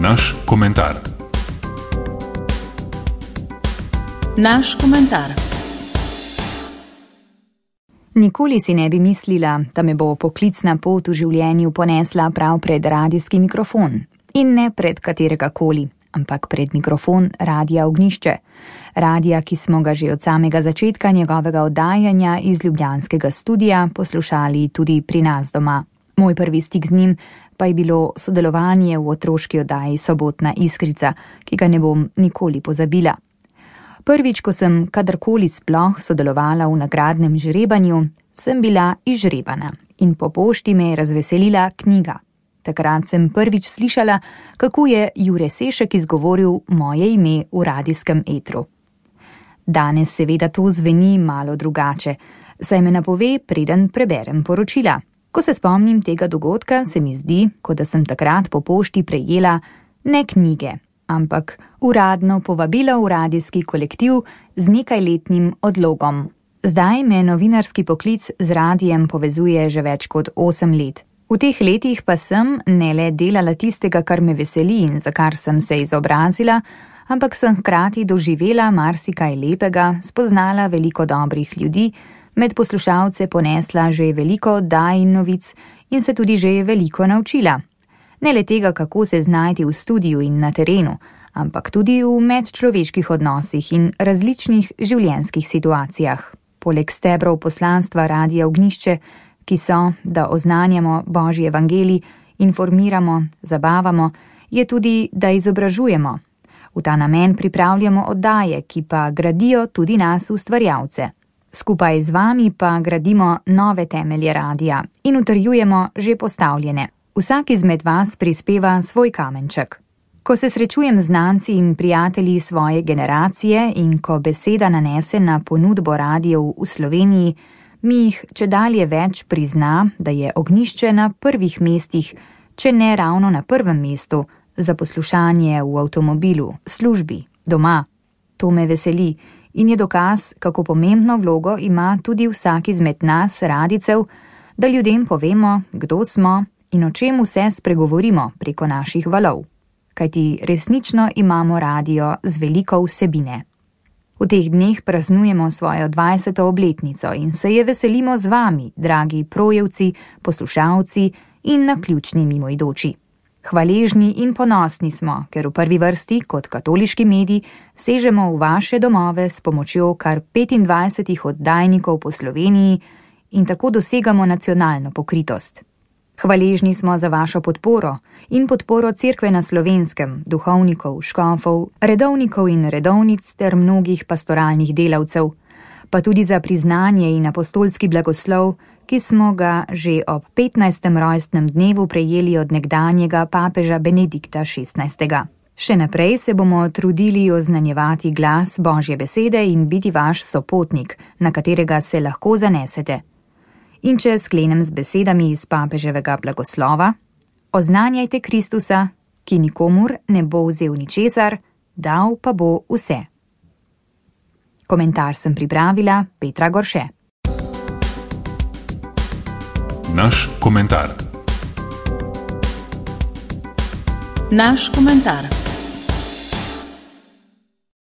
Naš komentar. Naš komentar. Nikoli si ne bi mislila, da me bo poklicna pot v življenju ponesla prav pred radijski mikrofon. In ne pred katerega koli, ampak pred mikrofon Radia Ognjišče. Radija, ki smo ga že od samega začetka njegovega oddajanja iz ljubljanskega studia poslušali tudi pri nas doma. Moj prvi stik z njim pa je bilo sodelovanje v otroški oddaji Sobotna iskrica, ki ga ne bom nikoli pozabila. Prvič, ko sem kadarkoli sploh sodelovala v nagradnem žrebanju, sem bila izžrebana in po pošti me je razveselila knjiga. Takrat sem prvič slišala, kako je Jure Sešek izgovoril moje ime v radijskem etru. Danes seveda to zveni malo drugače, saj me napove, preden preberem poročila. Ko se spomnim tega dogodka, se mi zdi, kot da sem takrat po pošti prejela ne knjige, ampak uradno povabilo v radijski kolektiv z nekajletnim odlogom. Zdaj me novinarski poklic z radijem povezuje že več kot 8 let. V teh letih pa sem ne le delala tistega, kar me veseli in za kar sem se izobrazila, ampak sem hkrati doživela marsikaj lepega, spoznala veliko dobrih ljudi, med poslušalce ponesla že veliko oddaj in novic in se tudi že veliko naučila. Ne le tega, kako se znajti v studiu in na terenu, ampak tudi v medčloveških odnosih in različnih življenjskih situacijah. Poleg stebrov poslanstva Radia Ognjišče, ki so, da oznanjamo Božji evangelij, informiramo, zabavamo, je tudi, da izobražujemo. V ta namen pripravljamo oddaje, ki pa gradijo tudi nas ustvarjalce. Skupaj z vami pa gradimo nove temelje radija in utrjujemo že postavljene. Vsak izmed vas prispeva svoj kamenček. Ko se srečujem z znanci in prijatelji svoje generacije in ko beseda nanese na ponudbo radijev v Sloveniji, mi jih čedalje več prizna, da je Ognjišče na prvih mestih, če ne ravno na prvem mestu, za poslušanje v avtomobilu, službi, doma. To me veseli in je dokaz, kako pomembno vlogo ima tudi vsak izmed nas, radijcev, da ljudem povemo, kdo smo in o čem vse spregovorimo preko naših valov. Kajti resnično imamo radio z veliko vsebine. V teh dneh praznujemo svojo 20. obletnico in se je veselimo z vami, dragi projevci, poslušalci in naključni mimoidoči. Hvaležni in ponosni smo, ker v prvi vrsti, kot katoliški medij, sežemo v vaše domove s pomočjo kar 25 oddajnikov po Sloveniji in tako dosegamo nacionalno pokritost. Hvaležni smo za vašo podporo in podporo Cerkve na Slovenskem, duhovnikov, škofov, redovnikov in redovnic ter mnogih pastoralnih delavcev, pa tudi za priznanje in apostolski blagoslov, ki smo ga že ob 15. rojstnem dnevu prejeli od nekdanjega papeža Benedikta XVI. Še naprej se bomo trudili oznanjevati glas Božje besede in biti vaš sopotnik, na katerega se lahko zanesete. In če sklenem z besedami iz papeževega blagoslova, oznanjajte Kristusa, ki nikomur ne bo vzel ničesar, dal pa bo vse. Komentar sem pripravila Petra Gorše. Naš komentar. Naš komentar.